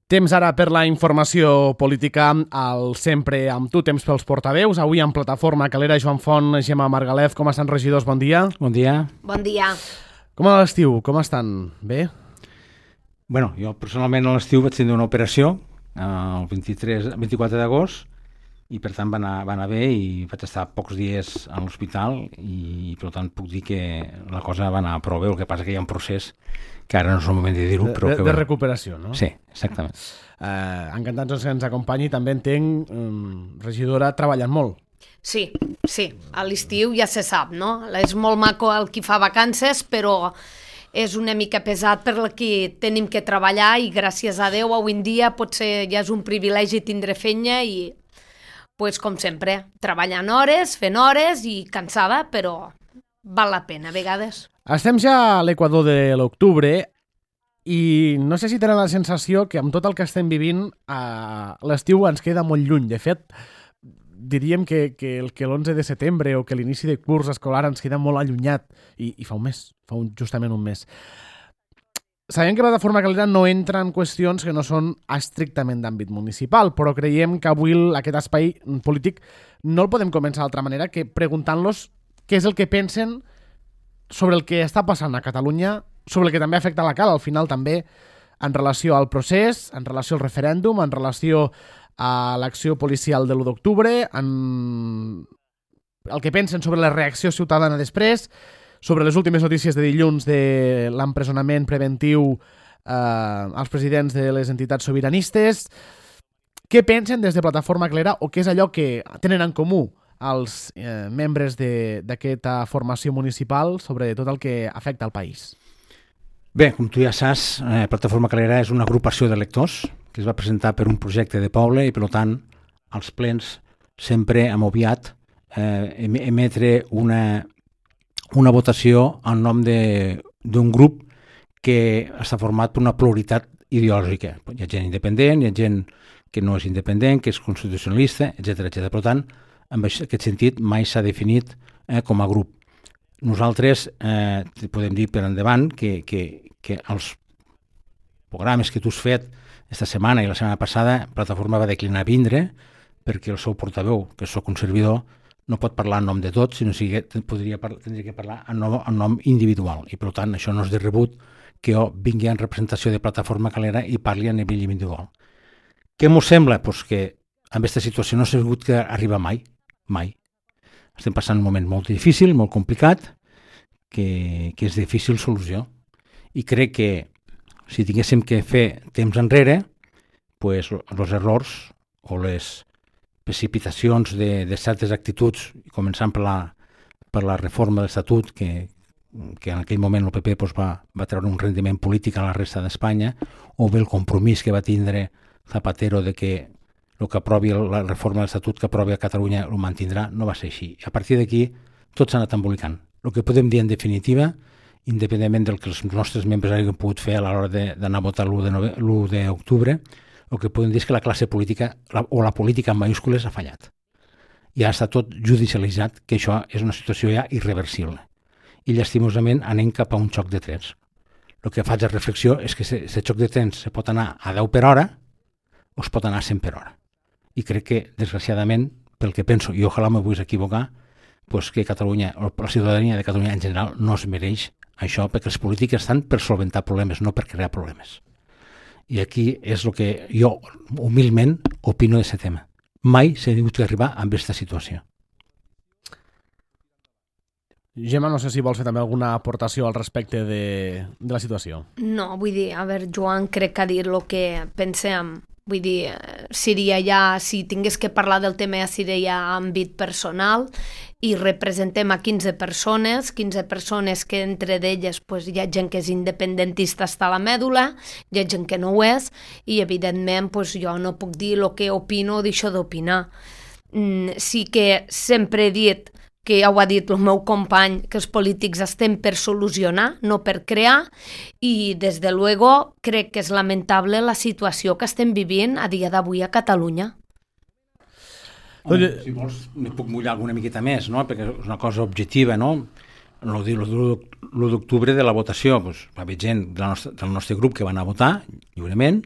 Temps ara per la informació política, al Sempre amb tu, temps pels portaveus. Avui en plataforma Calera, Joan Font, Gemma Margalef. Com estan, regidors? Bon dia. Bon dia. Bon dia. Com a l'estiu? Com estan? Bé? Bueno, jo personalment a l'estiu vaig tenir una operació el 24 d'agost i per tant va anar bé i vaig estar pocs dies a l'hospital i per tant puc dir que la cosa va anar prou bé. El que passa que hi ha un procés que ara no és el moment de dir-ho, però de recuperació, no? Sí, exactament. Encantats que ens acompanyi, també entenc, regidora, treballant molt. Sí, a l'estiu ja se sap, no? És molt maco el qui fa vacances, però és una mica pesat per la que tenim que treballar i gràcies a Déu avui en dia potser ja és un privilegi tindre feina i, pues, com sempre, treballant hores, fent hores i cansada, però val la pena a vegades. Estem ja a l'equador de l'octubre i no sé si tenen la sensació que amb tot el que estem vivint l'estiu ens queda molt lluny. De fet, diríem que l'11 de setembre o que l'inici de curs escolar ens queda molt allunyat i fa un mes, justament un mes. Sabem que la plataforma Calera no entra en qüestions que no són estrictament d'àmbit municipal, però creiem que avui aquest espai polític no el podem començar d'altra manera que preguntant-los què és el que pensen sobre el que està passant a Catalunya, sobre el que també afecta la Cal, al final també en relació al procés, en relació al referèndum, en relació a l'acció policial de l'1 d'octubre, en el que pensen sobre la reacció ciutadana després, sobre les últimes notícies de dilluns de l'empresonament preventiu als presidents de les entitats sobiranistes. Què pensen des de Plataforma Calera o què és allò que tenen en comú els membres d'aquesta formació municipal sobre tot el que afecta al país? Bé, com tu ja saps, Plataforma Calera és una agrupació d'electors que es va presentar per un projecte de poble i, per tant, als plens sempre hem obviat emetre una votació en nom d'un grup que està format per una pluralitat ideològica. Hi ha gent independent, hi ha gent que no és independent, que és constitucionalista, etc. Per tant, en aquest sentit mai s'ha definit com a grup. Nosaltres podem dir per endavant que els programes que tu has fet esta setmana i la setmana passada, Plataforma va declinar vindre perquè el seu portaveu, que soc un servidor, no pot parlar en nom de tots, sinó que tindria que parlar en nom individual. I per tant això no és de rebut que jo vingui en representació de Plataforma Calera i parli a nivell individual. Què m'ho sembla? Pues que en aquesta situació no s'ha hagut que arribar mai. Estem passant un moment molt difícil, molt complicat, que és difícil solució. I crec que si tinguéssim que fer temps enrere, pues, els errors o les precipitacions de certes actituds, començant per la reforma de l'Estatut, que en aquell moment el PP pues, va treure un rendiment polític a la resta d'Espanya, o bé el compromís que va tindre Zapatero de que el que aprovi la reforma de l'Estatut que aprovi a Catalunya ho mantindrà, no va ser així. A partir d'aquí tot s'ha anat embolicant. El que podem dir en definitiva, independentment del que els nostres membres hagin pogut fer a l'hora d'anar a votar l'1 d'octubre, el que podem dir és que la classe política, o la política en majúscules, ha fallat. Ja està tot judicialitzat, que això és una situació ja irreversible. I llastimosament anem cap a un xoc de trens. El que faig a reflexió és que aquest xoc de trens se pot anar a 10 per hora o es pot anar a 100 per hora. I crec que, desgraciadament, pel que penso, i ojalà me vull equivocar, pues que Catalunya, o la ciutadania de Catalunya en general, no es mereix això, perquè els polítics estan per solventar problemes, no per crear problemes. I aquí és el que jo, humilment, opino d'aquest tema. Mai s'ha hagut d'arribar a aquesta situació. Gemma, no sé si vols fer també alguna aportació al respecte de la situació. No, vull dir, a veure, Joan, crec que ha dit el que pensem. Vull dir, seria ja, si tingués que parlar del tema, ja seria ja àmbit personal i representem a 15 persones que entre d'elles pues, hi ha gent que és independentista hasta la mèdula, hi ha gent que no ho és i evidentment pues, jo no puc dir el que opino o deixo d'opinar. Sí que sempre he dit que ja ho ha dit el meu company, que els polítics estem per solucionar, no per crear, i des de luego crec que és lamentable la situació que estem vivint a dia d'avui a Catalunya. Si vols, me puc mullar alguna miqueta més, no? Perquè és una cosa objectiva, no? L'1 d'octubre de la votació, doncs, va haver gent del nostre grup que va anar a votar lliurement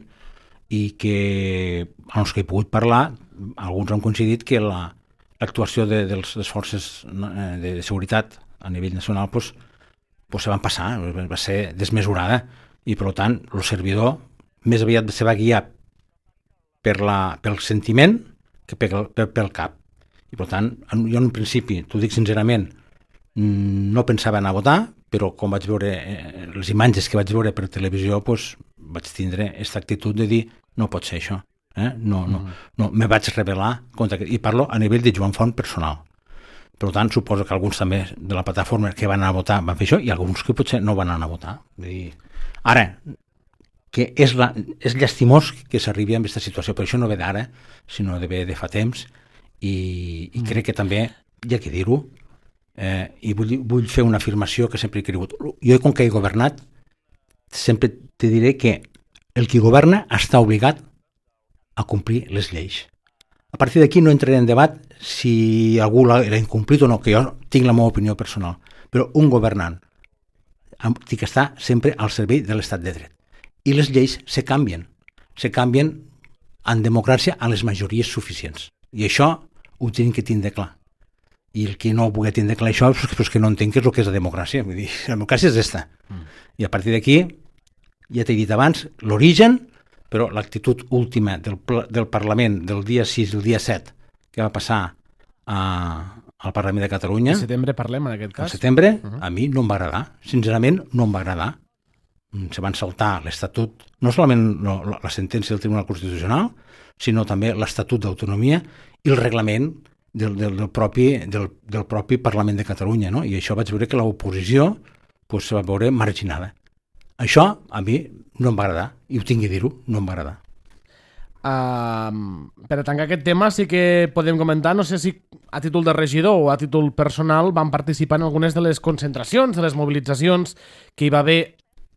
i que, els que he pogut parlar, alguns han coincidit que l'actuació de les forces de seguretat a nivell nacional se van passar, va ser desmesurada, i per tant el servidor més aviat se va guiar pel sentiment que pel cap. I per tant, jo en un principi, t'ho dic sincerament, no pensava anar a votar, però com vaig veure les imatges que vaig veure per televisió, vaig tindre aquesta actitud de dir no pot ser això. No, me vaig rebel·lar i parlo a nivell de Joan Font personal. Per tant, suposo que alguns també de la plataforma que van anar a votar van fer això i alguns que potser no van anar a votar. Ara, que és llastimós que s'arribi a aquesta situació, però això no ve d'ara, sinó de fa temps, i crec que també hi ha que dir-ho, i vull fer una afirmació que sempre he cregut. Jo, com que he governat, sempre te diré que el qui governa està obligat a complir les lleis. A partir d'aquí no entraré en debat si algú l'ha incomplit o no, que jo tinc la meva opinió personal, però un governant té que estar sempre al servei de l'estat de dret. I les lleis se canvien en democràcia a les majories suficients. I això ho tenim que tindre clar. I el que no pugui tindre clar això és que no entenc què és el que és la democràcia. Vull dir, la democràcia és aquesta. I a partir d'aquí, ja t'he dit abans, l'origen, però l'actitud última del Parlament del dia 6 i el dia 7 que va passar al Parlament de Catalunya... Al setembre parlem, en aquest cas. Al setembre, a mi no em va agradar. Sincerament, no em va agradar. Se van saltar l'Estatut, no solament la sentència del Tribunal Constitucional, sinó també l'Estatut d'Autonomia i el reglament del propi Parlament de Catalunya. No? I això vaig veure que l'oposició se va veure marginada. Això a mi no em va agradar, i ho tinc que dir-ho, no em va agradar. Per a tancar aquest tema sí que podem comentar, no sé si a títol de regidor o a títol personal van participar en algunes de les concentracions, de les mobilitzacions que hi va haver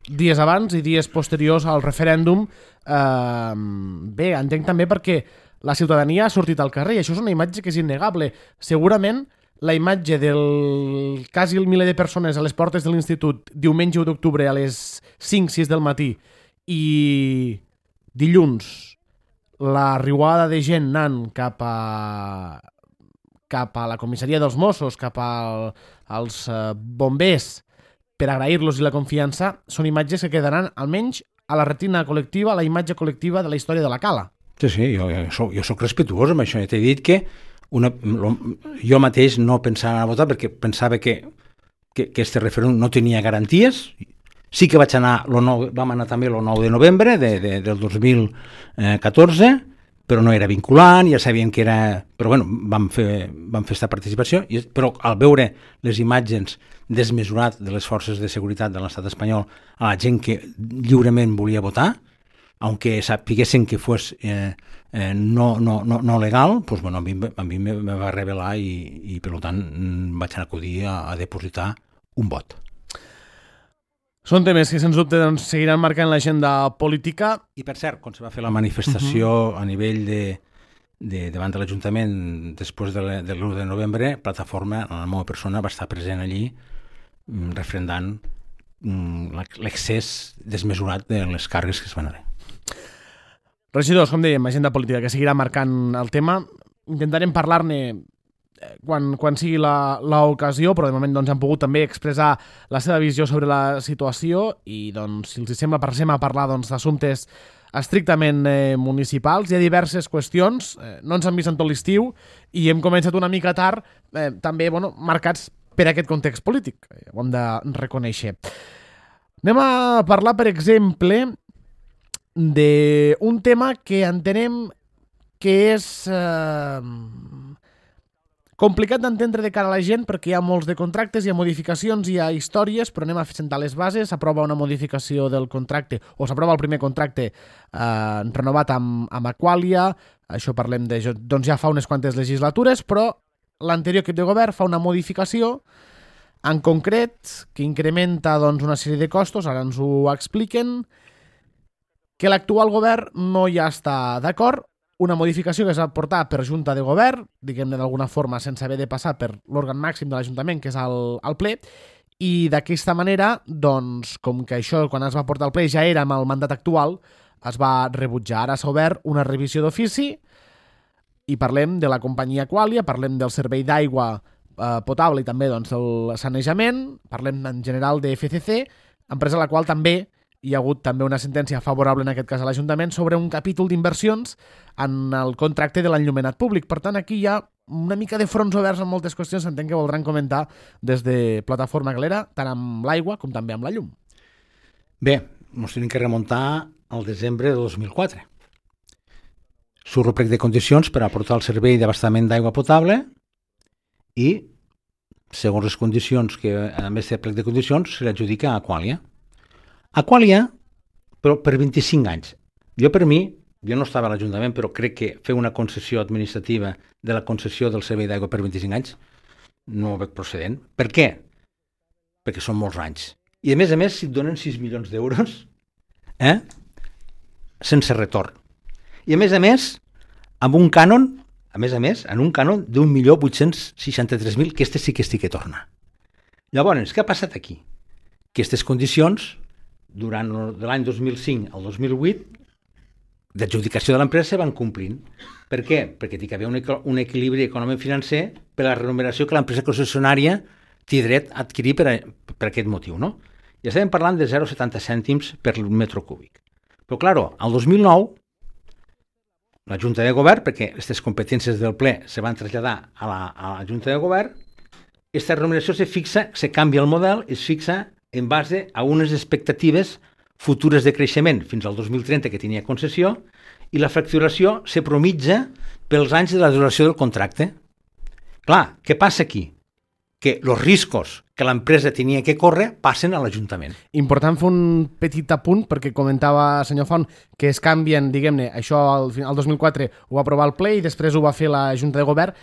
dies abans i dies posteriors al referèndum. Bé, entenc també perquè la ciutadania ha sortit al carrer i això és una imatge que és innegable. Segurament la imatge del quasi el miler de persones a les portes de l'institut diumenge 1 d'octubre a les 5-6 del matí i dilluns la riuada de gent anant cap a la comissaria dels Mossos, cap als bombers per agrair-los i la confiança, són imatges que quedaran almenys a la retina col·lectiva, a la imatge col·lectiva de la història de la Cala. Sí, jo soc respetuós amb això. T'he dit que jo mateix no pensava a votar perquè pensava que este referèndum no tenia garanties. Sí que vam anar també el 9 de novembre del 2014, però no era vinculant, ja sabíem que era... Però bueno, vam fer aquesta participació, però al veure les imatges desmesurat de les forces de seguretat de l'estat espanyol a la gent que lliurement volia votar, aunque sapiguessin que fos no legal, pues bueno, a mi me va revelar i per tant vaig acudir a depositar un vot. Són temes que, sens dubte, seguiran marcant l'agenda política. I, per cert, quan se va fer la manifestació a nivell davant de l'Ajuntament després de l'1 de novembre, Plataforma, la meva persona, va estar present allí refrendant l'excés desmesurat de les càrregues que es van haver. Regidors, com dèiem, agenda política que seguirà marcant el tema. Intentarem parlar-ne quan sigui l'ocasió, però de moment han pogut també expressar la seva visió sobre la situació i si els sembla passem a parlar d'assumptes estrictament municipals. Hi ha diverses qüestions, no ens han vist en tot l'estiu i hem començat una mica tard, també marcats per aquest context polític, ho hem de reconèixer. Anem a parlar, per exemple, d'un tema que entenem que és complicat d'entendre de cara a la gent perquè hi ha molts de contractes, hi ha modificacions, hi ha històries, però anem a sentar les bases. S'aprova una modificació del contracte, o s'aprova el primer contracte renovat amb Aqualia, això parlem de ja fa unes quantes legislatures, però l'anterior equip de govern fa una modificació en concret que incrementa una sèrie de costos, ara ens ho expliquen, que l'actual govern no hi està d'acord. Una modificació que es va portar per Junta de Govern, diguem-ne d'alguna forma, sense haver de passar per l'òrgan màxim de l'Ajuntament, que és el ple, i d'aquesta manera, com que això, quan es va portar al ple, ja era amb el mandat actual, es va rebutjar. Ara s'ha obert una revisió d'ofici i parlem de la companyia Aqualia, parlem del servei d'aigua potable i també doncs, el sanejament, parlem en general de FCC, empresa a la qual també hi ha hagut també una sentència favorable en aquest cas a l'Ajuntament sobre un capítol d'inversions en el contracte de l'enllumenat públic. Per tant, aquí hi ha una mica de fronts oberts en moltes qüestions, entenc que voldran comentar des de Plataforma Galera, tant amb l'aigua com també amb la llum. Bé, ens tenim que remuntar al desembre de 2004. Surt el plec de condicions per aportar el servei d'abastament d'aigua potable i, segons les condicions que a més de plec de condicions, se l'adjudica a Aqualia. Aqualia, però per 25 anys. Per mi, jo no estava a l'Ajuntament, però crec que fer una concessió administrativa de la concessió del servei d'aigua per 25 anys no ho veig procedent. Per què? Perquè són molts anys. I a més, si et donen 6 milions d'euros, sense retorn. I a més, amb un cànon, en un cànon d'1.863.000, que sí que estic que torna. Llavors, què ha passat aquí? Aquestes condicions, durant l'any 2005 al 2008, d'adjudicació de l'empresa se van complint. Per què? Perquè hi havia un equilibri econòmic-financer per a la remuneració que l'empresa concessionària té dret a adquirir per aquest motiu, no? I estàvem parlant de 0,70 cèntims per metre cúbic. Però, clar, al 2009, la Junta de Govern, perquè aquestes competències del ple se van traslladar a la Junta de Govern, aquesta remuneració se canvia el model i es fixa en base a unes expectatives futures de creixement fins al 2030 que tenia concessió i la facturació se promitja pels anys de la duració del contracte. Clar, què passa aquí? Que els riscos que l'empresa tenia que córrer passen a l'Ajuntament. Important fer un petit apunt, perquè comentava, senyor Font, que es canvien, diguem-ne, això al 2004 ho va aprovar el ple i després ho va fer la Junta de Govern,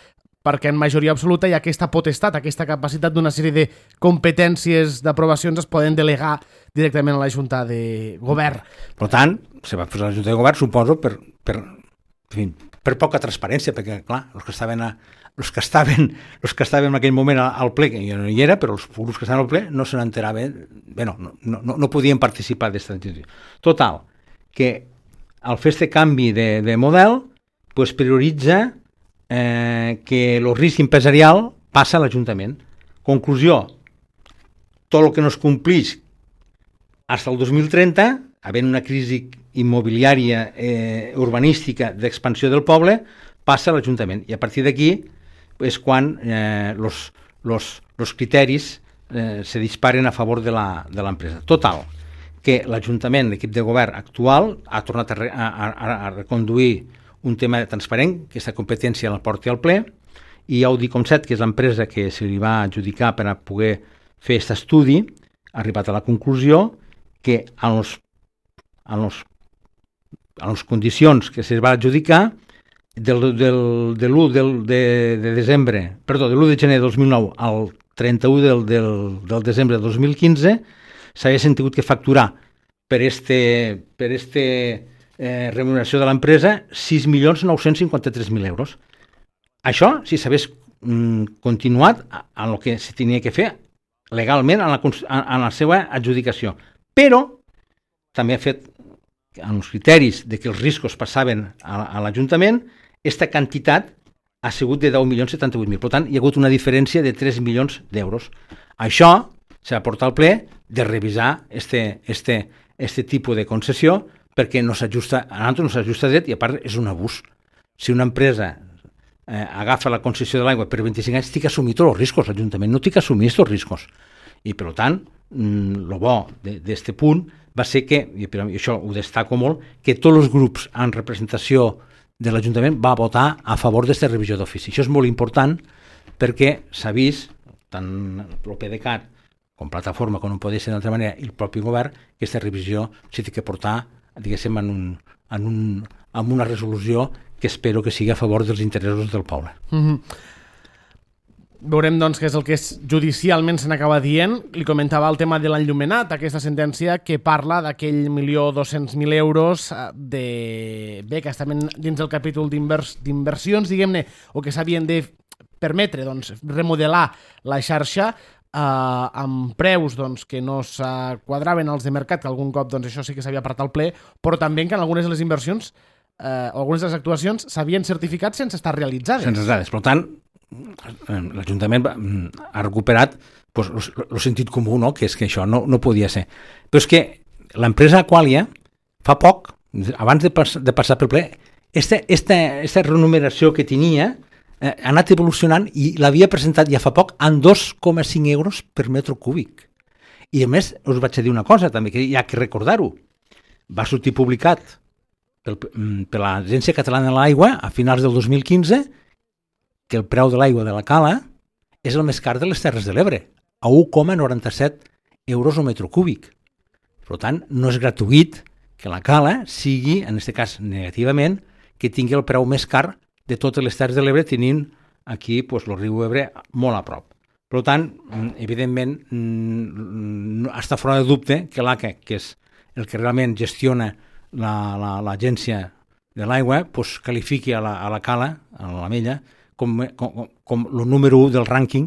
perquè en majoria absoluta hi ha aquesta potestat, aquesta capacitat d'una sèrie de competències d'aprovacions es poden delegar directament a la Junta de Govern. Per tant, se va posar la Junta de Govern, suposo, per poca transparència, perquè, clar, els que estaven en aquell moment al ple, que jo no hi era, però els grups que estaven al ple no se n'enteraven, no podien participar d'aquesta decisió. Total, que al fer aquest canvi de model, prioritza que el risc empresarial passa a l'Ajuntament. Conclusió, tot el que no es complix fins al 2030, havent una crisi immobiliària urbanística d'expansió del poble, passa a l'Ajuntament. I a partir d'aquí és quan els criteris se disparen a favor de l'empresa. Total, que l'Ajuntament, l'equip de govern actual, ha tornat a reconduir un tema transparent, que aquesta competència la porti al ple, i Audicomset, que és l'empresa que se li va adjudicar per a poder fer aquest estudi, ha arribat a la conclusió que a les condicions que se va adjudicar de l'1 de gener de 2009 al 31 del desembre de 2015 s'haguessin tingut que facturar per remuneració de l'empresa 6.953.000 euros. Això, si s'hagués continuat en el que se tenia que fer legalment en la seva adjudicació. Però també ha fet, en els criteris de que els riscos passaven a l'Ajuntament, aquesta quantitat ha sigut de 10.078.000. Per tant, hi ha hagut una diferència de 3 milions d'euros. Això s'ha de portar al ple de revisar este tipus de concessió perquè no s'ajusta, a nosaltres no s'ajusta dret i a part és un abús. Si una empresa agafa la concessió de l'aigua per 25 anys, té que assumir tots els riscos. L'Ajuntament no té que assumir aquests riscos. I, per tant, el bo d'aquest punt va ser que, i això ho destaco molt, que tots els grups en representació de l'Ajuntament va votar a favor d'aquesta revisió d'ofici. Això és molt important perquè s'ha vist, tant el PDeCAT com Plataforma, com no podia ser d'altra manera, i el propi govern, que aquesta revisió s'ha de portar, diguéssim, en una resolució que espero que sigui a favor dels interessos del poble. Veurem, doncs, què és el que judicialment se n'acaba dient. Li comentava el tema de l'enllumenat, aquesta sentència que parla d'aquell 1.200.000 euros que estaven dins del capítol d'inversions, diguem-ne, o que s'havien de permetre remodelar la xarxa amb preus doncs, que no s'quadraven als de mercat, que algun cop doncs, això sí que s'havia apartat al ple, però també que en algunes de les inversions algunes de les actuacions s'havien certificat sense estar realitzades. Sense dades. Per tant, l'Ajuntament ha recuperat el sentit comú, no? Que és que això no podia ser. Però és que l'empresa Aqualia, fa poc, abans de passar pel ple, aquesta renumeració que tenia ha anat evolucionant i l'havia presentat ja fa poc en 2,5 euros per metre cúbic. I a més, us vaig dir una cosa també, que hi ha que recordar-ho. Va sortir publicat per l'Agència Catalana de l'Aigua a finals del 2015 que el preu de l'aigua de la Cala és el més car de les Terres de l'Ebre, a 1,97 euros o metre cúbic. Per tant, no és gratuït que la Cala sigui, en aquest cas negativament, que tingui el preu més car de totes les Terres de l'Ebre, tenint aquí el riu Ebre molt a prop. Per tant, evidentment, està fora de dubte que l'ACA, que és el que realment gestiona l'agència de l'aigua, qualifiqui a la Cala, a l'Amella, com el número 1 del rànquing,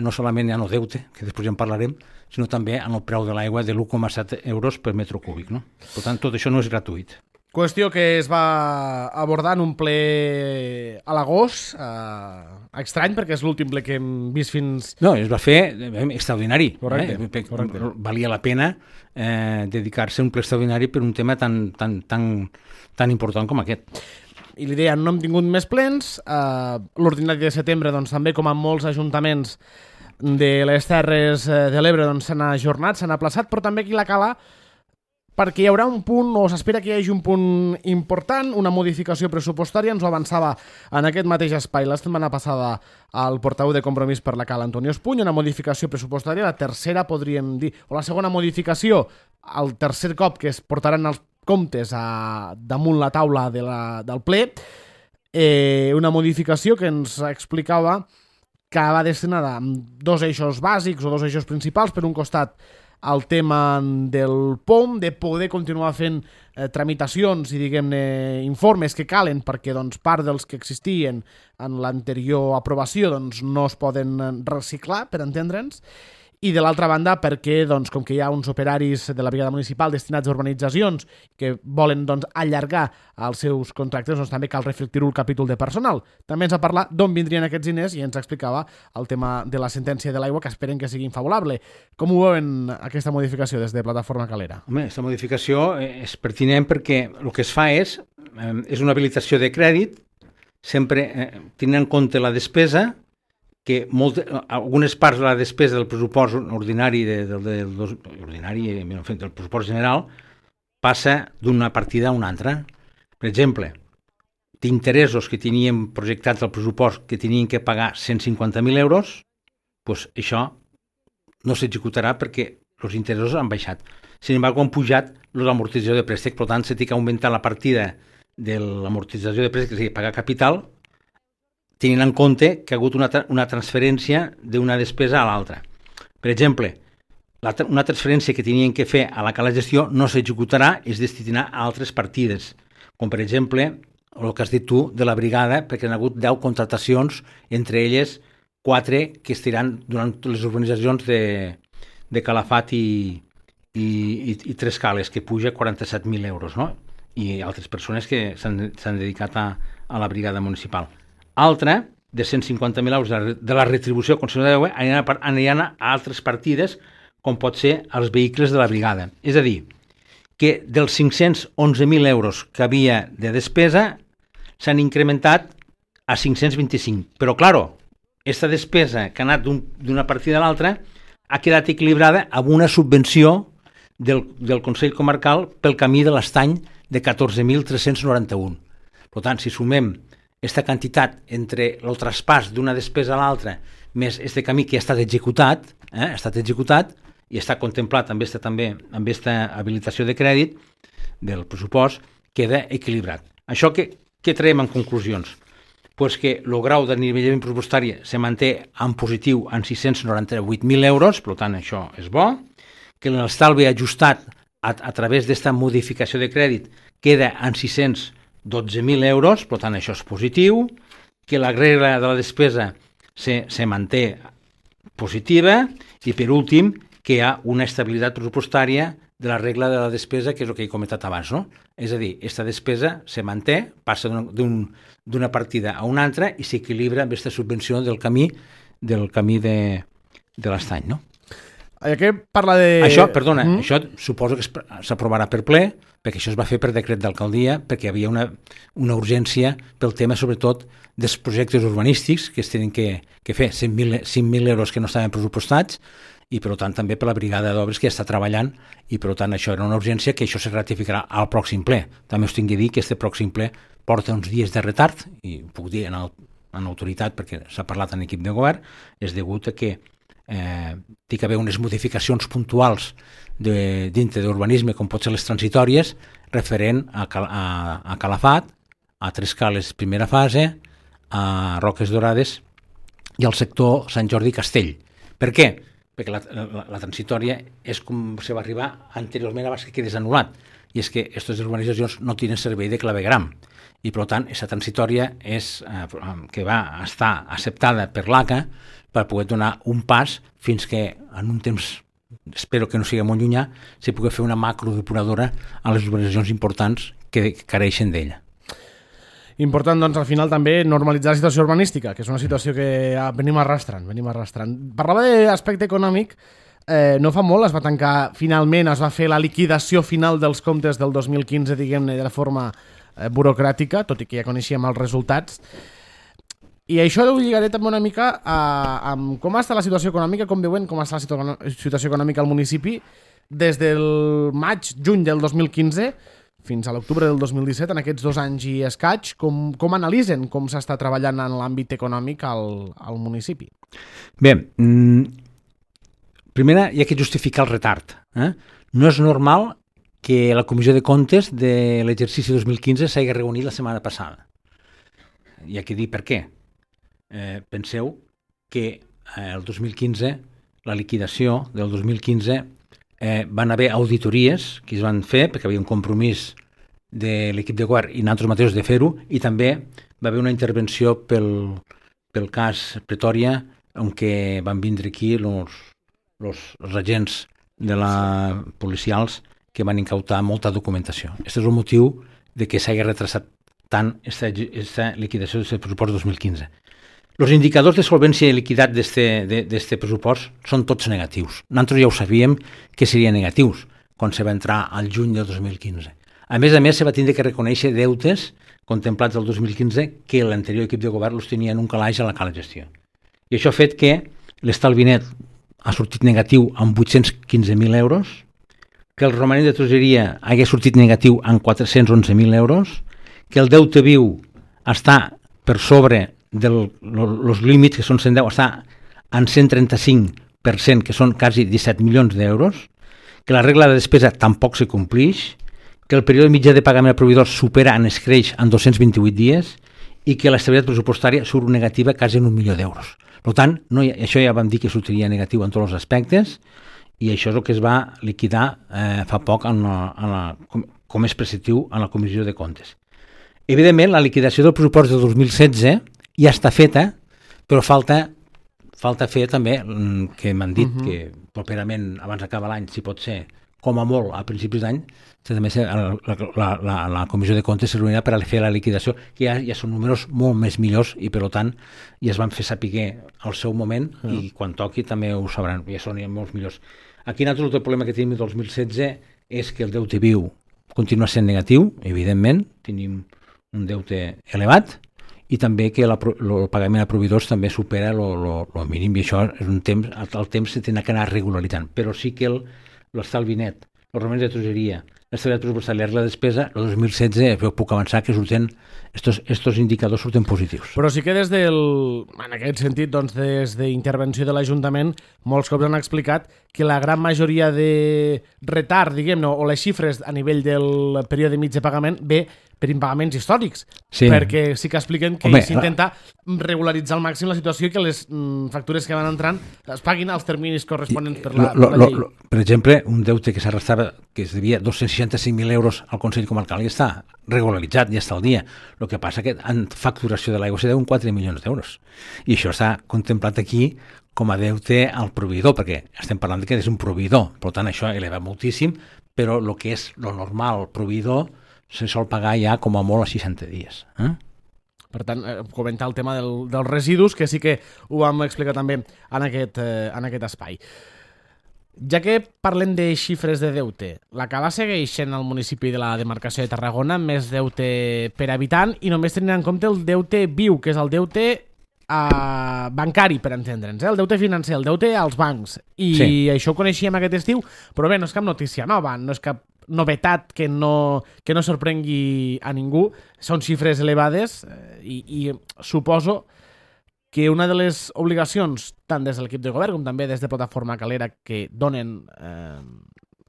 no solament en el deute, que després ja en parlarem, sinó també en el preu de l'aigua de l'1,7 euros per metre cúbic. No? Per tant, tot això no és gratuït. Qüestió que es va abordar en un ple a l'agost, estrany perquè és l'últim ple que hem vist fins... No, es va fer extraordinari. Correcte. Valia la pena dedicar-se a un ple extraordinari per un tema tan important com aquest. I l'idea, no hem tingut més plens, l'ordinari de setembre doncs, també com en molts ajuntaments de les Terres de l'Ebre doncs, s'han ajornat, s'han aplaçat, però també aquí la Cala, perquè hi haurà un punt, o s'espera que hi hagi un punt important, una modificació pressupostària, ens ho avançava en aquest mateix espai la setmana passada al portaveu de Compromís per la Cala, Antonio Espuny, una modificació pressupostària, la tercera podríem dir, o la segona modificació, el tercer cop que es portaran els comptes damunt la taula del ple, una modificació que ens explicava que va destinada a dos eixos bàsics o dos eixos principals. Per un costat, el tema del POM, de poder continuar fent tramitacions i, diguem-ne, informes que calen perquè doncs, part dels que existien en l'anterior aprovació doncs, no es poden reciclar, per entendre'ns, i de l'altra banda perquè, doncs, com que hi ha uns operaris de la brigada municipal destinats a urbanitzacions que volen doncs, allargar els seus contractes, doncs també cal reflectir-ho el capítol de personal. També ens ha parlat d'on vindrien aquests diners i ens explicava el tema de la sentència de l'aigua, que esperen que sigui favorable. Com ho veuen aquesta modificació des de Plataforma Calera? Home, aquesta modificació és pertinent perquè el que es fa és una habilitació de crèdit, sempre tenint en compte la despesa, que algunes parts de la despesa del pressupost ordinari del pressupost general passa d'una partida a una altra. Per exemple, d'interessos que teníem projectats al pressupost que tenien que pagar 150.000 euros, doncs això no s'executarà perquè els interessos han baixat. Sin embargo, han pujat l'amortització de préstec, per tant, s'ha de augmentar la partida de l'amortització de préstec, és a dir, pagar capital, tenint en compte que ha hagut una transferència d'una despesa a l'altra. Per exemple, una transferència que tenien que fer a la Cala Gestió no s'executarà, es destinarà a altres partides, com per exemple el que has dit tu de la brigada, perquè han hagut 10 contratacions, entre elles 4 que estiran durant les urbanitzacions de Calafat i Tres Cales, que puja 47.000 euros, no? I altres persones que s'han dedicat a la brigada municipal. Altra, de 150.000 euros de la retribució concessionària d'aigua, aniran a altres partides, com pot ser els vehicles de la brigada. És a dir, que dels 511.000 euros que havia de despesa s'han incrementat a 525. Però, clar, aquesta despesa que ha anat d'una partida a l'altra ha quedat equilibrada amb una subvenció del Consell Comarcal pel camí de l'Estany de 14.391. Per tant, si sumem aquesta quantitat entre el traspàs d'una despesa a l'altra més aquest camí que ha estat executat, i està contemplat amb aquesta habilitació de crèdit del pressupost, queda equilibrat. Això què traiem en conclusions? Pues que el grau de nivellament pressupostari se manté en positiu en 698.000 euros, per tant això és bo, que l'estalvi ajustat a través d'aquesta modificació de crèdit queda en 612.000 euros, per tant això és positiu, que la regla de la despesa se manté positiva, i per últim, que hi ha una estabilitat pressupostària de la regla de la despesa, que és el que he comentat abans, no? És a dir, aquesta despesa se manté, passa d'una partida a una altra i s'equilibra amb aquesta subvenció del camí de l'estany, no? Aquí parla de... Això, perdona, això suposo que s'aprovarà per ple, perquè això es va fer per decret d'alcaldia, perquè hi havia una urgència pel tema, sobretot, dels projectes urbanístics que es tenen que fer, 5.000 euros que no estaven pressupostats, i per tant també per la brigada d'obres que està treballant, i per tant això era una urgència, que això se ratificarà al pròxim ple. També us tinc de dir que este pròxim ple porta uns dies de retard, i ho puc dir en autoritat perquè s'ha parlat en equip de govern, és degut a que té que haver unes modificacions puntuals dintre d'urbanisme, com pot ser les transitòries, referent a Calafat, a Tres Cales primera fase, a Roques Dorades i al sector Sant Jordi Castell. Per què? Perquè la transitòria és com se va arribar anteriorment abans que quedés anul·lat, i és que aquestes urbanitzacions no tenen servei de clavegram, i per tant aquesta transitòria és que va estar acceptada per l'ACA per poder donar un pas fins que en un temps, espero que no sigui molt llunyà, se pugui fer una macrodepuradora a les urbanitzacions importants que careixen d'ella. Important, doncs, al final també normalitzar la situació urbanística, que és una situació que venim arrastrant. Parlava d'aspecte econòmic, no fa molt es va tancar, finalment es va fer la liquidació final dels comptes del 2015, diguem-ne, de forma burocràtica, tot i que ja coneixíem els resultats. I això ho lligaré també una mica amb com està la situació econòmica, com veuen com està la situació econòmica al municipi des del maig-juny del 2015 fins a l'octubre del 2017, en aquests 2 anys i escaig, com analitzen com s'està treballant en l'àmbit econòmic al municipi? Bé, primera hi ha que justificar el retard. No és normal que la Comissió de Comptes de l'exercici 2015 s'hagi reunit la setmana passada. Hi ha que dir per què. Penseu que el 2015, la liquidació del 2015, van haver auditories que es van fer perquè hi havia un compromís de l'equip de govern i nosaltres mateixos de fer-ho, i també va haver una intervenció pel cas Pretòria, on què van vindre aquí els agents de la policials que van incautar molta documentació. Aquest és el motiu de que s'hagi retrasat tant aquesta liquidació d'aquest pressupost 2015. Els indicadors de solvència i liquidat d'aquest pressupost són tots negatius. Nosaltres ja ho sabíem que serien negatius quan se va entrar al juny del 2015. A més, se va tindre que reconèixer deutes contemplats del 2015 que l'anterior equip de govern els tenia en un calaix a la cala gestió. I això ha fet que l'estalvi net ha sortit negatiu amb 815.000 euros, que el romanent de tresoreria hagi sortit negatiu amb 411.000 euros, que el deute viu està per sobre dels límits, que són 110, està en 135%, que són quasi 17 milions d'euros, que la regla de despesa tampoc se complix, que el període mitjà de pagament a proveïdors supera en escreix en 228 dies i que l'estabilitat pressupostària surt negativa quasi en 1 milió d'euros. Per tant, això ja vam dir que sortiria negatiu en tots els aspectes, i això és el que es va liquidar fa poc com és preceptiu en la Comissió de Comptes. Evidentment, la liquidació del pressupost del 2016 ja està feta, però falta fer també, que m'han dit que properament, abans d'acabar l'any, si pot ser, com a molt, a principis d'any, també la Comissió de Comptes se reunirà per a fer la liquidació, que ja són números molt més millors, i per tant ja es van fer saber al seu moment, i quan toqui també ho sabran, ja són molts millors. Aquí nosaltres el problema que tenim el 2016 és que el deute viu continua sent negatiu, evidentment, tenim un deute elevat, i també que el pagament a proveïdors també supera el mínim, i això és un temps, el temps se tindrà que anar regularitzant, però sí que l'estalvi net, els romanents de tresoreria, l'estabilitat pressupostària i la despesa, el 2016 puc avançar que surten, estos indicadors surten positius. Però sí que en aquest sentit, doncs, des d'intervenció de l'Ajuntament, molts cops han explicat que la gran majoria de retard, diguem-ne, o les xifres a nivell del període mig de pagament ve per impagaments històrics, perquè sí que expliquen que s'intenta regularitzar al màxim la situació i que les factures que van entrant es paguin als terminis corresponents per la llei. Per exemple, un deute que s'arrastrava, que es devia 265.000 euros al Consell Comarcal, ja està regularitzat, ja està al dia. El que passa que en facturació de l'aigua se deuen 4 milions d'euros. I això està contemplat aquí com a deute al proveïdor, perquè estem parlant que és un proveïdor, per tant això eleva moltíssim, però el que és lo normal, el proveïdor se sol pagar ja com a molt a 60 dies. Per tant, comentar el tema dels residus, que sí que ho vam explicar també en aquest espai. Ja que parlem de xifres de deute, la Cala segueix sent el municipi de la demarcació de Tarragona amb més deute per habitant i només tenint en compte el deute viu, que és el deute bancari, per entendre'ns, el deute financer, el deute als bancs. I això ho coneixíem aquest estiu, però bé, no és cap notícia nova, no és cap novetat que no sorprengui a ningú. Són xifres elevades i suposo que una de les obligacions, tant des de l'equip de govern com també des de Plataforma Calera, que donen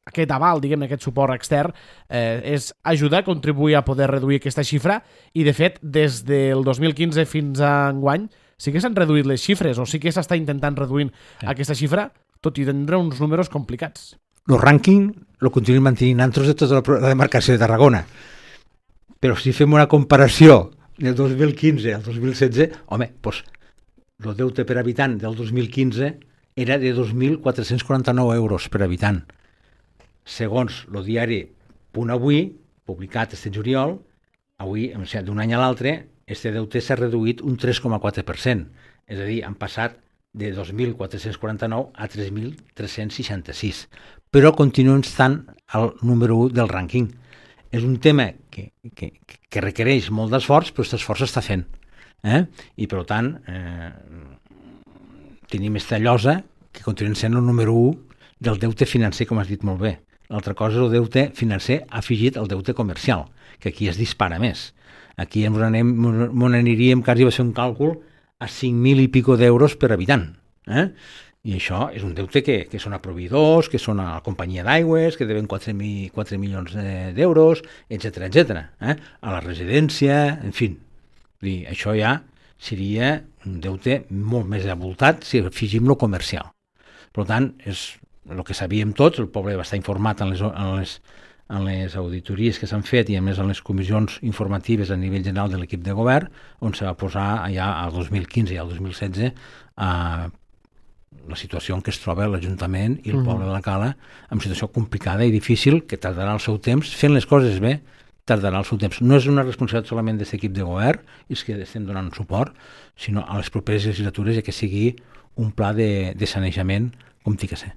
aquest aval, diguem-ne, aquest suport extern, és ajudar a contribuir a poder reduir aquesta xifra i, de fet, des del 2015 fins a enguany sí que s'han reduït les xifres o sí que s'està intentant reduint aquesta xifra, tot i tindre uns números complicats. El rànquing el continuem mantenint nosaltres de tota la demarcació de Tarragona, però si fem una comparació del 2015 al 2016, home, doncs el deute per habitant del 2015 era de 2.449 euros per habitant. Segons el diari Punt Avui, publicat este juliol, avui, o sigui, d'un any a l'altre, este deute s'ha reduït un 3,4%. És a dir, han passat de 2.449 a 3.366. Però continuem estant al número 1 del rànquing. És un tema que requereix molt d'esforç, però aquest esforç s'està fent. I per tant tenim esta llosa que continuem sent el número 1 del deute financer, com has dit molt bé. L'altra cosa és el deute financer afegit al deute comercial, que aquí es dispara més. Aquí ens aniríem, quasi va ser un càlcul, a 5.000 i pico d'euros per habitant. I això és un deute que són a proveïdors, que són a la companyia d'aigües, que deben 4 milions d'euros, etc. A la residència, en fi. Això ja seria un deute molt més avoltat si afegim lo comercial. Per tant, és el que sabíem tots, el poble va estar informat en les auditories que s'han fet i a més en les comissions informatives a nivell general de l'equip de govern, on se va posar ja al 2015 i al 2016 la situació en què es troba l'Ajuntament i el poble de la Cala, en situació complicada i difícil, que tardarà el seu temps, fent les coses bé, tardarà el seu temps. No és una responsabilitat solament d'aquest equip de govern, és que estem donant suport, sinó a les properes legislatures que sigui un pla de sanejament com té que ser.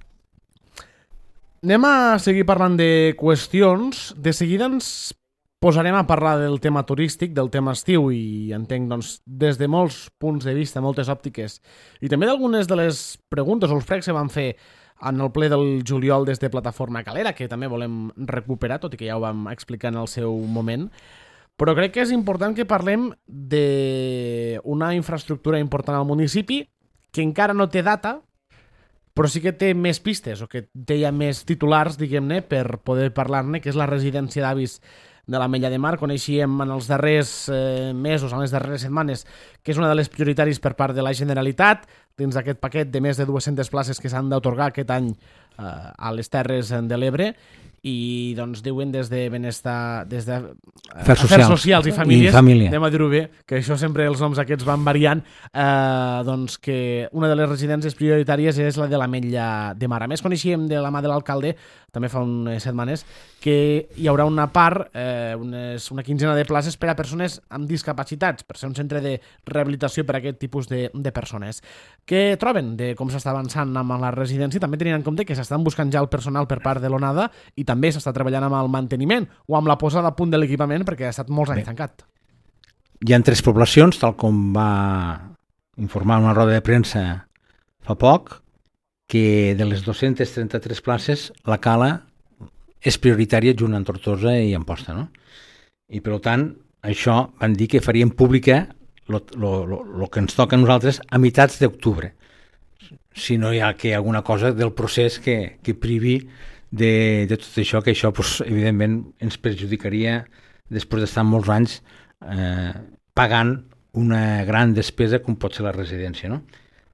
Anem a seguir parlant de qüestions. De seguida ens posarem a parlar del tema turístic, del tema estiu, i entenc doncs, des de molts punts de vista, moltes òptiques, i també d'algunes de les preguntes o els pregs que van fer en el ple del juliol des de Plataforma Calera, que també volem recuperar, tot i que ja ho vam explicar en el seu moment. Però crec que és important que parlem d'una infraestructura important al municipi que encara no té data, però sí que té més pistes, o que té ja més titulars, diguem-ne, per poder parlar-ne, que és la residència d'avis de l'Ametlla de Mar. Coneixíem en els darrers mesos, en les darreres setmanes, que és una de les prioritaris per part de la Generalitat, dins d'aquest paquet de més de 200 places que s'han d'atorgar aquest any a les Terres de l'Ebre, i doncs diuen des de benestar, des de Afers Socials i Famílies, anem a dir-ho bé, que això sempre els noms aquests van variant, doncs que una de les residències prioritàries és la de l'Ametlla de Mar. A més, coneixíem de la mà de l'alcalde, també fa unes setmanes, que hi haurà una part, una quinzena de places per a persones amb discapacitats, per ser un centre de rehabilitació per a aquest tipus de persones. Què troben de com s'està avançant amb la residència? També tenint en compte que s'estan buscant ja el personal per part de l'ONADA i també s'està treballant amb el manteniment o amb la posada a punt de l'equipament perquè ha estat molts anys tancat. Hi ha 3 poblacions, tal com va informar una roda de premsa fa poc, que de les 233 places la Cala és prioritària junt amb Tortosa i Amposta, no? I per tant, això van dir que farien pública el que ens toca a nosaltres a meitats d'octubre, si no hi ha alguna cosa del procés que privi de tot això, que això pues, evidentment ens perjudicaria després d'estar molts anys pagant una gran despesa com pot ser la residència, no?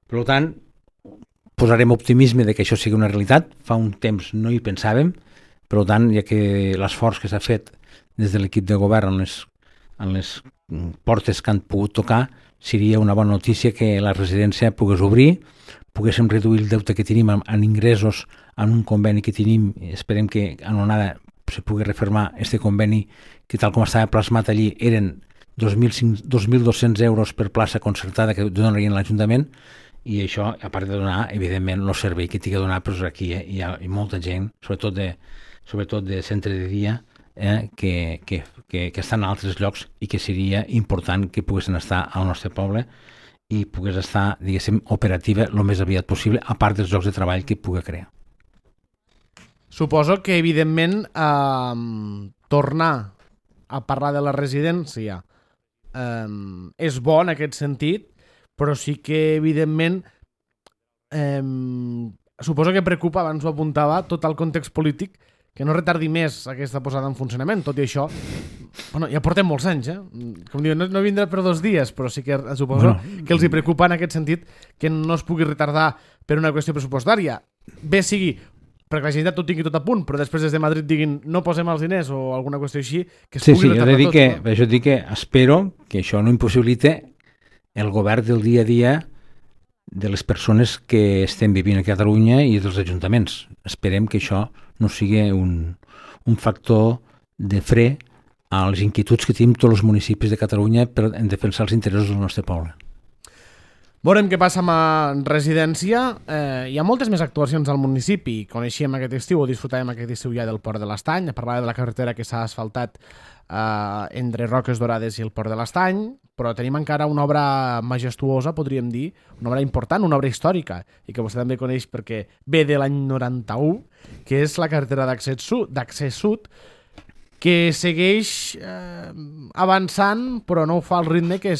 Per tant, posarem optimisme de que això sigui una realitat. Fa un temps no hi pensàvem, per tant, ja que l'esforç que s'ha fet des de l'equip de govern en les portes que han pogut tocar, seria una bona notícia que la residència pogués obrir, poguéssim reduir el deute que tenim en ingressos en un conveni que tenim, esperem que en onada se pugui refermar este conveni que tal com estava plasmat allí eren 2.200 euros per plaça concertada que donarien l'Ajuntament, i això, a part de donar, evidentment, el servei que tingui a donar, però aquí hi ha molta gent, sobretot de centre de dia, que estan en altres llocs i que seria important que poguessin estar al nostre poble i pogués estar, diguéssim, operativa el més aviat possible, a part dels llocs de treball que pugui crear. Suposo que, evidentment, tornar a parlar de la residència és bo en aquest sentit, però sí que, evidentment, suposo que preocupa, abans ho apuntava, tot el context polític, que no retardi més aquesta posada en funcionament. Tot i això, bueno, ja portem molts anys, com diuen, no vindrà per 2 dies, però sí que suposo que els hi preocupa en aquest sentit que no es pugui retardar per una qüestió pressupostària. Bé sigui perquè la Generalitat ho tingui tot a punt, però després des de Madrid diguin no posem els diners o alguna qüestió així, que es pugui retardar tot. Per això dic que espero que això no impossibilite el govern del dia a dia de les persones que estem vivint a Catalunya i dels ajuntaments. Esperem que això no sigui un factor de fre a les inquietuds que tenim tots els municipis de Catalunya en defensar els interessos del nostre poble. Veurem què passa amb residència. Hi ha moltes més actuacions al municipi. Coneixíem aquest estiu o disfrutàvem aquest estiu ja del Port de l'Estany. Parlava de la carretera que s'ha asfaltat entre Roques Dorades i el Port de l'Estany, però tenim encara una obra majestuosa, podríem dir, una obra important, una obra històrica, i que vostè també coneix perquè ve de l'any 91, que és la carretera d'accés sud, que segueix avançant, però no ho fa al ritme que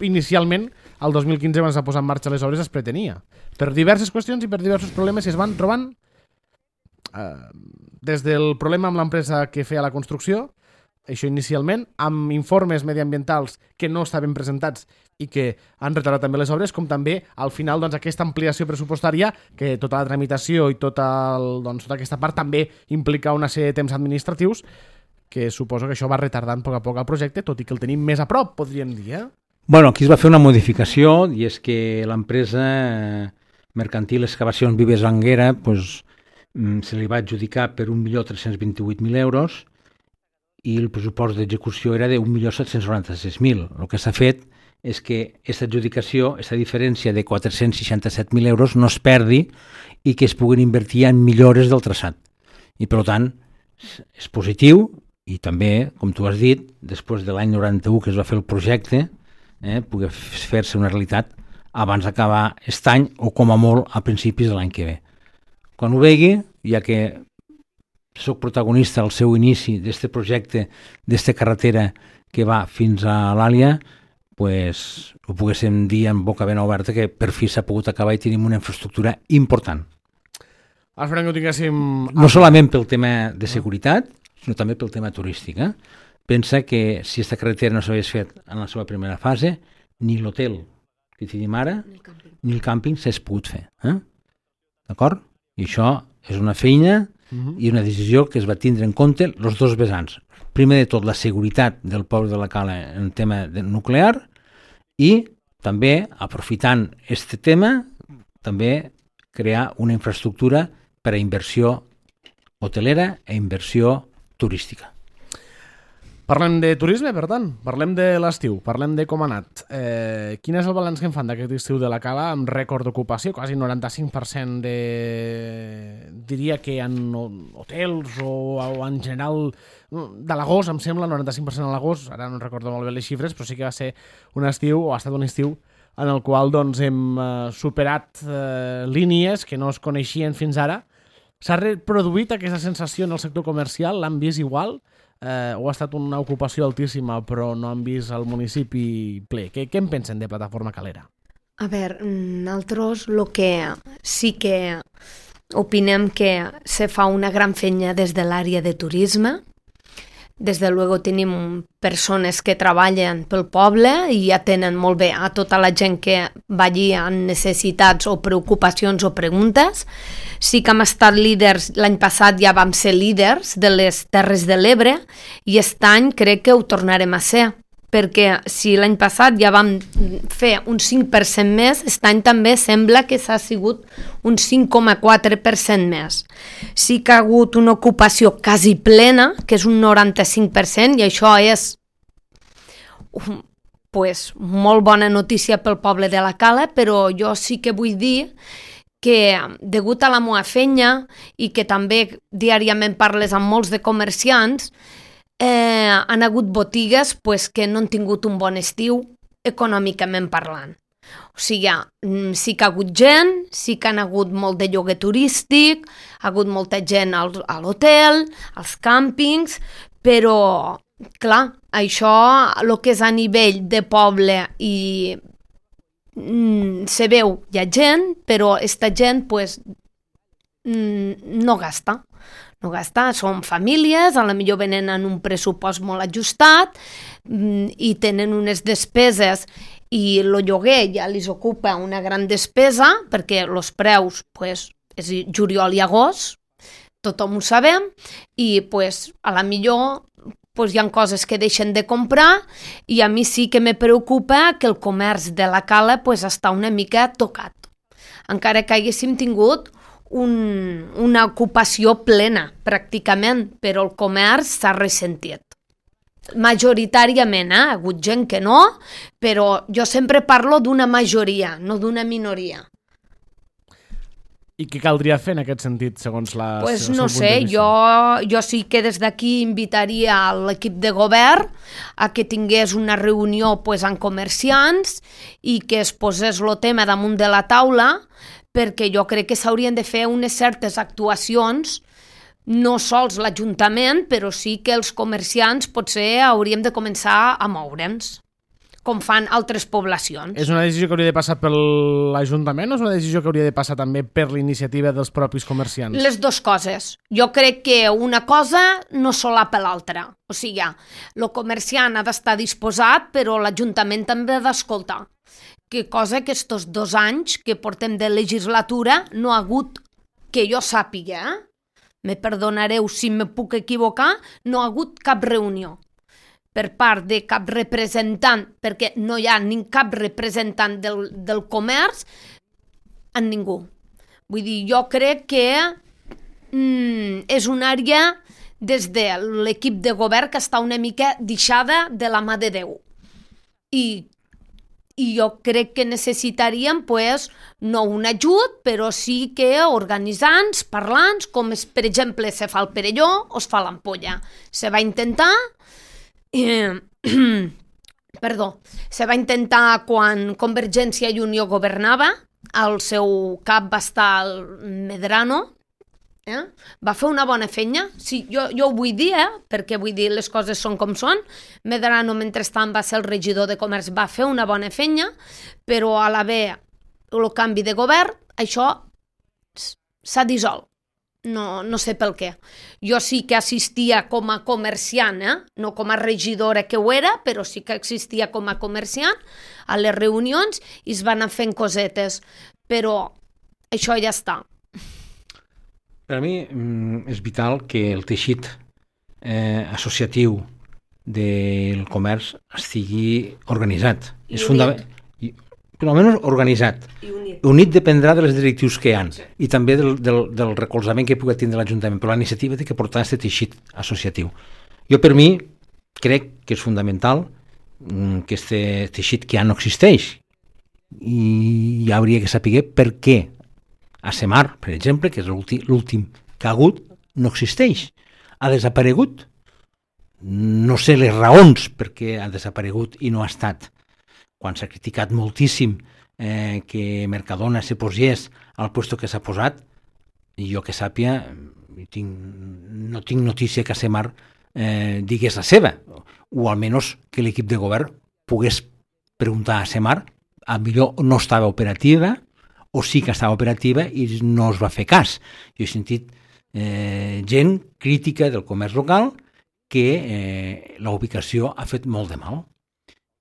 inicialment, el 2015, quan s'ha posat en marxa les obres, es pretenia. Per diverses qüestions i per diversos problemes es van trobant, des del problema amb l'empresa que feia la construcció, això inicialment, amb informes mediambientals que no estaven presentats i que han retardat també les obres, com també al final aquesta ampliació pressupostària, que tota la tramitació i tota aquesta part també implica una sèrie de temps administratius, que suposo que això va retardant a poc a poc el projecte, tot i que el tenim més a prop, podríem dir. Bueno, aquí es va fer una modificació, i és que l'empresa mercantil Excavacions Vives Anguera se li va adjudicar per 1.328.000 euros, i el pressupost d'execució era de 1.796.000. El que s'ha fet és que aquesta adjudicació, aquesta diferència de 467.000 euros no es perdi i que es puguin invertir en millores del traçat. I per tant, és positiu i també, com tu has dit, després de l'any 91 que es va fer el projecte, pugui fer-se una realitat abans d'acabar aquest any o com a molt a principis de l'any que ve. Quan ho vegi, ja que soc protagonista al seu inici d'aquest projecte, d'aquesta carretera que va fins a l'Àlia, ho poguéssim dir en boca ben oberta que per fi s'ha pogut acabar i tenim una infraestructura important. Esperem que ho tinguéssim... No solament pel tema de seguretat, sinó també pel tema turístic. Pensa que si aquesta carretera no s'hagués fet en la seva primera fase, ni l'hotel que tenim ara, ni el càmping s'hagués pogut fer. D'acord? I això és una feina i una decisió que es va tindre en compte els dos vessants. Primer de tot, la seguretat del poble de la Cala en tema nuclear i també, aprofitant aquest tema, també crear una infraestructura per a inversió hotelera i inversió turística. Parlem de turisme, per tant, parlem de l'estiu, parlem de com ha anat. Quin és el balanç que en fan d'aquest estiu de la Cala amb rècord d'ocupació? Quasi 95% diria que en hotels o en general de l'agost, em sembla, 95% a l'agost, ara no recordo molt bé les xifres, però sí que va ser un estiu, o ha estat un estiu, en el qual hem superat línies que no es coneixien fins ara. S'ha reproduït aquesta sensació en el sector comercial? L'han vist igual? O ha estat una ocupació altíssima però no han vist el municipi ple? Què en pensen de Plataforma Calera? A veure, nosaltres el que sí que opinem que se fa una gran feina des de l'àrea de turisme. Des de luego tenim persones que treballen pel poble i atenen molt bé a tota la gent que va allí amb necessitats o preocupacions o preguntes. Sí que hem estat líders, l'any passat ja vam ser líders de les Terres de l'Ebre i aquest any crec que ho tornarem a ser. perquè si l'any passat ja vam fer un 5% més, aquest any també sembla que s'ha sigut un 5,4% més. Sí que ha hagut una ocupació quasi plena, que és un 95%, i això és pues, molt bona notícia pel poble de la Cala, però jo sí que vull dir que, degut a la meva feina i que també diàriament parles amb molts de comerciants, han hagut botigues pues, que no han tingut un bon estiu econòmicament parlant. O sigui, sí que ha hagut gent, sí que han hagut molt de lloguer turístic, ha hagut molta gent a l'hotel, als càmpings, però, clar, això, el que és a nivell de poble i se veu, hi ha gent, però aquesta gent pues, no gasta. No gasta, són famílies, a la millor venen en un pressupost molt ajustat i tenen unes despeses i el lloguer ja li ocupa una gran despesa perquè els preus pues, és juliol i agost, tothom ho sabem, i pues, a la millor pues, hi ha coses que deixen de comprar i a mi sí que me preocupa que el comerç de la Cala pues, està una mica tocat. Encara que haguéssim tingut una ocupació plena, pràcticament, però el comerç s'ha ressentit. Majoritàriament, ha hagut gent que no, però jo sempre parlo d'una majoria, no d'una minoria. I què caldria fer en aquest sentit, segons la... Pues no sé, jo sí que des d'aquí invitaria a l'equip de govern a que tingués una reunió pues, amb comerciants i que es posés el tema damunt de la taula, perquè jo crec que s'haurien de fer unes certes actuacions, no sols l'Ajuntament, però sí que els comerciants potser hauríem de començar a moure'ns, com fan altres poblacions. És una decisió que hauria de passar per l'Ajuntament o és una decisió que hauria de passar també per l'iniciativa dels propis comerciants? Les dues coses. Jo crec que una cosa no solapa l'altra. O sigui, el comerciant ha d'estar disposat, però l'Ajuntament també ha d'escoltar. Que cosa que estos 2 anys que portem de legislatura no ha hagut, que jo sàpiga, me perdonareu si me puc equivocar, no ha hagut cap reunió per part de cap representant, perquè no hi ha cap representant del comerç en ningú. Vull dir, jo crec que és una àrea des de l'equip de govern que està una mica deixada de la mà de Déu. I jo crec que necessitaríem, pues, no un ajut, però sí que organitzants, parlants, com és, per exemple, se fa el Perelló o es fa l'Ampolla. Se va intentar... se va intentar quan Convergència i Unió governava, al seu cap va estar el Medrano, va fer una bona feina, sí, jo ho vull dir, perquè vull dir les coses són com són. Medrano mentrestant va ser el regidor de comerç, va fer una bona feina, però a l'haver el canvi de govern, això s'ha dissolt. No sé pel què. Jo sí que assistia com a comerciant, no com a regidora que ho era, però sí que existia com a comerciant a les reunions i es van anar fent cosetes, però això ja està. Per a mi és vital que el teixit associatiu del comerç estigui organitzat. És fundamental. Per almenys organitzat. Unit dependrà de les directius que hi ha i també del recolzament que pugui tindre l'Ajuntament, però la iniciativa té que portar aquest teixit associatiu. Jo, per mi, crec que és fundamental que aquest teixit que ja no existeix i ja hauria que saber per què a Semar, per exemple, que és l'últim que ha hagut, no existeix. Ha desaparegut. No sé les raons per què ha desaparegut i no ha estat. Quan s'ha criticat moltíssim que Mercadona se posés al lloc que s'ha posat, i jo que sàpia, no tinc notícia que Semar digués la seva, o almenys que l'equip de govern pogués preguntar a Semar, a millor no estava operativa, o sí que estava operativa i no es va fer cas. Jo he sentit gent crítica del comerç local que la ubicació ha fet molt de mal.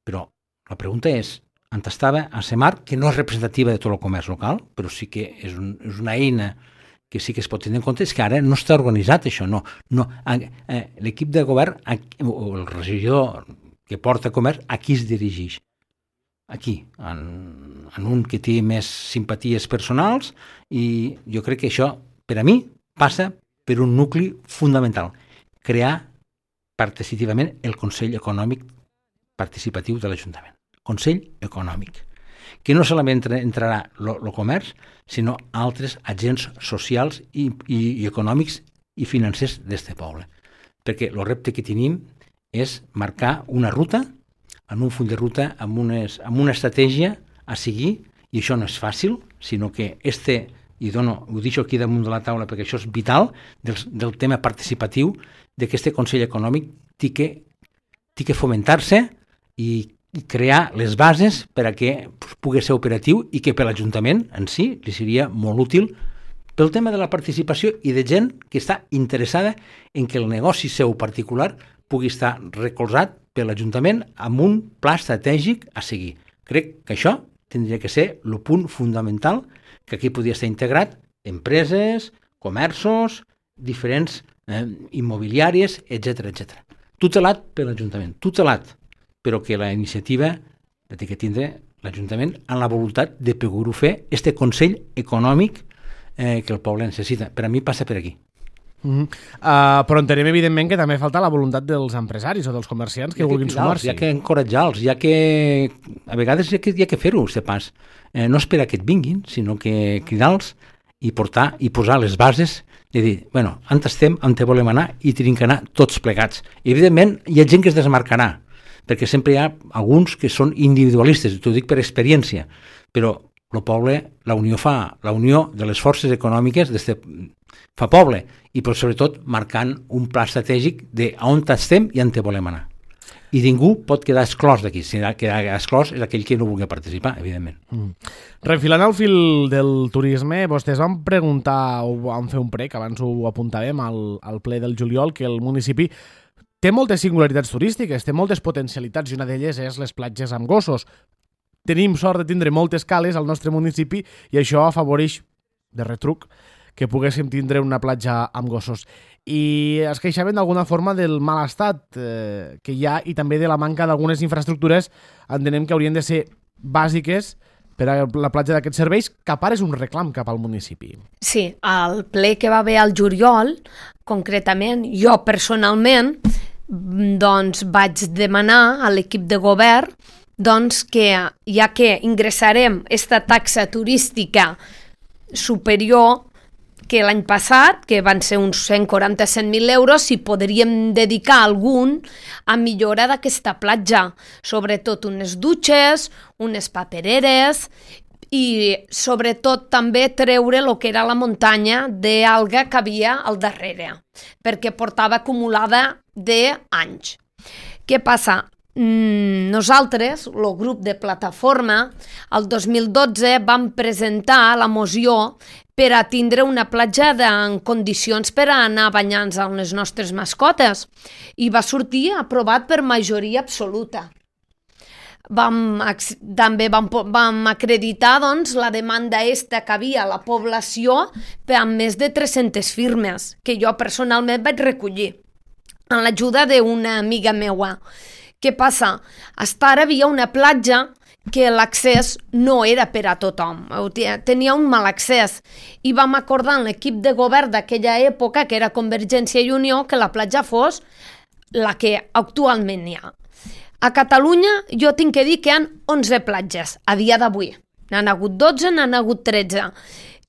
Però la pregunta és, on estava a Semar, que no és representativa de tot el comerç local, però sí que és una eina que sí que es pot tenir en compte, és que ara no està organitzat això. L'equip de govern, o el regidor que porta comerç, a qui es dirigeix? Aquí, en un que té més simpaties personals, i jo crec que això, per a mi, passa per un nucli fundamental, crear participativament el Consell Econòmic Participatiu de l'Ajuntament. Consell Econòmic, que no solament entrarà el comerç, sinó altres agents socials i econòmics i financers d'este poble. Perquè el repte que tenim és marcar una ruta, en un full de ruta, amb una estratègia a seguir, i això no és fàcil, sinó que i ho deixo aquí damunt de la taula perquè això és vital, del tema participatiu, d'aquest Consell Econòmic té que fomentar-se i crear les bases per a que pugui ser operatiu i que per l'Ajuntament en si li seria molt útil pel tema de la participació i de gent que està interessada en que el negoci seu particular pugui estar recolzat per l'Ajuntament amb un pla estratègic a seguir. Crec que això tindria que ser el punt fundamental, que aquí podria estar integrat empreses, comerços, diferents immobiliàries, etc. Tutelat per l'Ajuntament, tutelat, però que la iniciativa té que tindre l'Ajuntament amb la voluntat de poder-ho fer, este Consell Econòmic que el poble necessita. Per a mi passa per aquí. Però entenem evidentment que també falta la voluntat dels empresaris o dels comerciants que vulguin sumar-s'hi. Hi ha que encoratjar-los, a vegades hi ha que fer-ho, este pas. No esperar que et vinguin, sinó que cridar-los i posar les bases de dir, bueno, on estem, on te volem anar i tenim que anar tots plegats. I evidentment hi ha gent que es desmarcarà, perquè sempre hi ha alguns que són individualistes, t'ho dic per experiència, però el poble, la unió de les forces econòmiques fa poble, i però sobretot marcant un pla estratègic d'on estem i on te volem anar. I ningú pot quedar exclòs d'aquí. Si queda exclòs és aquell que no vulgui participar, evidentment. Refilant al fil del turisme, vostès van preguntar o van fer un prec, abans ho apuntàvem al ple del juliol, que el municipi té moltes singularitats turístiques, té moltes potencialitats, i una d'elles és les platges amb gossos. Tenim sort de tindre moltes cales al nostre municipi i això afavoreix, de retruc, que poguéssim tindre una platja amb gossos. I es queixaven d'alguna forma del mal estat que hi ha i també de la manca d'algunes infraestructures, entenem que haurien de ser bàsiques per a la platja d'aquests serveis, que a part és un reclam cap al municipi. Sí, al ple que va haver al juliol, concretament, jo personalment, doncs vaig demanar a l'equip de govern doncs que, ja que ingressarem esta taxa turística superior que l'any passat, que van ser uns 147.000 euros, si podríem dedicar algun a millora d'aquesta platja, sobretot unes dutxes, unes papereres i sobretot també treure el que era la muntanya d'alga que havia al darrere, perquè portava acumulada d'anys. Què passa? Nosaltres, el grup de plataforma, el 2012 vam presentar la moció per a tindre una platja en condicions per a anar banyant-nos amb les nostres mascotes i va sortir aprovat per majoria absoluta. També vam acreditar doncs, la demanda que havia a la població amb més de 300 firmes, que jo personalment vaig recollir amb l'ajuda d'una amiga meua. Què passa? Fins ara havia una platja que l'accés no era per a tothom, tenia un mal accés i vam acordar en l'equip de govern d'aquella època, que era Convergència i Unió, que la platja fos la que actualment hi ha. A Catalunya jo tinc que dir que hi ha 11 platges a dia d'avui, n'han hagut 12, n'han hagut 13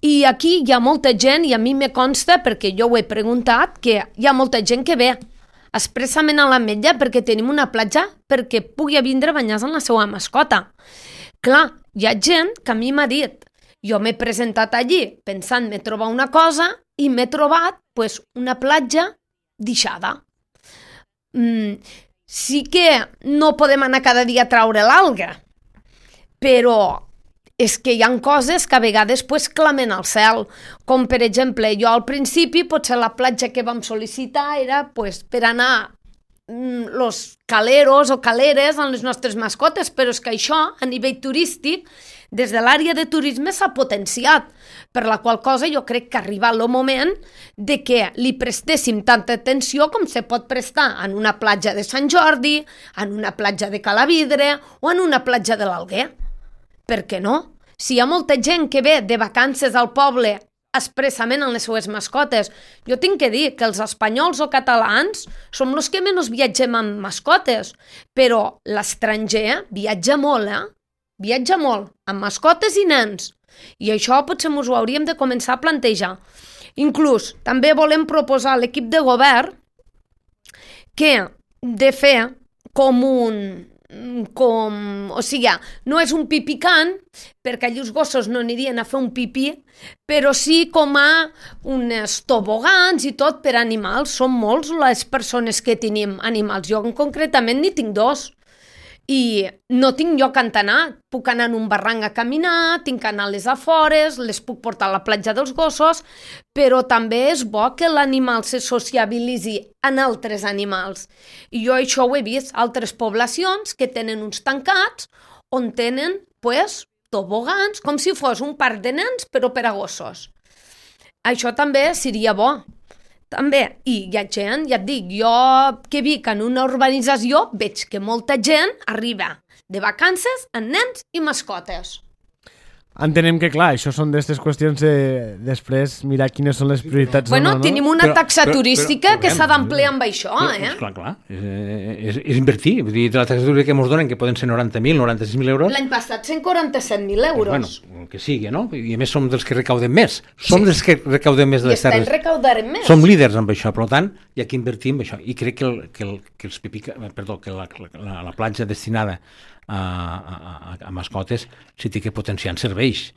i aquí hi ha molta gent, i a mi me consta perquè jo ho he preguntat, que hi ha molta gent que ve expressament a l'Ametlla perquè tenim una platja perquè pugui vindre a banyar-se amb la seva mascota. Clar, hi ha gent que a mi m'ha dit, jo m'he presentat allí pensant-me trobar una cosa i m'he trobat una platja deixada. Sí que no podem anar cada dia a traure l'alga, però és que hi ha coses que a vegades clamen al cel, com per exemple, jo al principi potser la platja que vam sol·licitar era per anar los caleros o caleres amb les nostres mascotes, però és que això, a nivell turístic, des de l'àrea de turisme s'ha potenciat, per la qual cosa jo crec que ha arribat el moment de que li prestéssim tanta atenció com se pot prestar en una platja de Sant Jordi, en una platja de Calavidre o en una platja de l'Alguer. Per què no? Si hi ha molta gent que ve de vacances al poble expressament en les seues mascotes, jo tinc que dir que els espanyols o catalans som els que menys viatgem amb mascotes, però l'estranger viatja molt, viatja molt, amb mascotes i nens. I això potser ens ho hauríem de començar a plantejar. Inclús també volem proposar a l'equip de govern que de fer o sigui, no és un pipicant, perquè allà els gossos no anirien a fer un pipí, però sí com a uns tobogans i tot per animals. Són molts les persones que tenim animals. Jo concretament n'hi tinc 2. I no tinc lloc on anar. Puc anar en un barranc a caminar, tinc que anar a les afores, les puc portar a la platja dels gossos, però també és bo que l'animal se sociabilitzi en altres animals. I jo això ho he vist, altres poblacions que tenen uns tancats on tenen, tobogans, com si fos un parc de nens, però per a gossos. Això també seria bo. També, i hi ha gent, ja et dic, jo que vic en una urbanització veig que molta gent arriba de vacances amb nens i mascotes. Entenem que, clar, això són d'aquestes qüestions de després mirar quines són les prioritats. Bueno, tenim una taxa turística que s'ha d'ampliar amb això, Clar. És invertir. Vull dir, de la taxa turística que ens donen, que poden ser 90.000, 96.000 euros... L'any passat 147.000 euros. Bueno, que sigui, no? I a més som dels que recaudem més. Som dels que recaudem més de les terres. I estem recaudarem més. Som líders amb això, per tant, hi ha que invertir en això. I crec que la platja destinada a mascotes sí té que potenciar en serveis.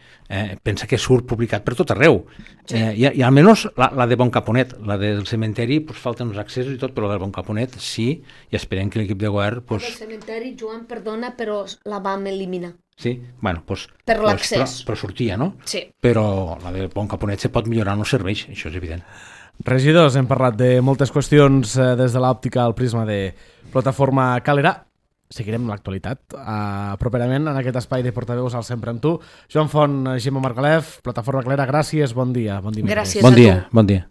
Pensa que surt publicat per tot arreu. Sí. I almenys la de Bon Caponet, la del cementeri, falten uns accessos i tot, però la del Bon Caponet sí, i esperem que l'equip de govern... La del cementeri, Joan, perdona, però la vam eliminar. Sí? Bueno, per l'accés. Però sortia, no? Sí. Però la de Bon Caponet se pot millorar en els serveis, això és evident. Regidors, hem parlat de moltes qüestions des de l'òptica al prisma de Plataforma Calera. Seguirem l'actualitat properament en aquest espai de portaveus al Sempre amb tu. Joan Font, Gemma Margalef, Plataforma Calera, gràcies, bon dia. Gràcies a tu. Bon dia.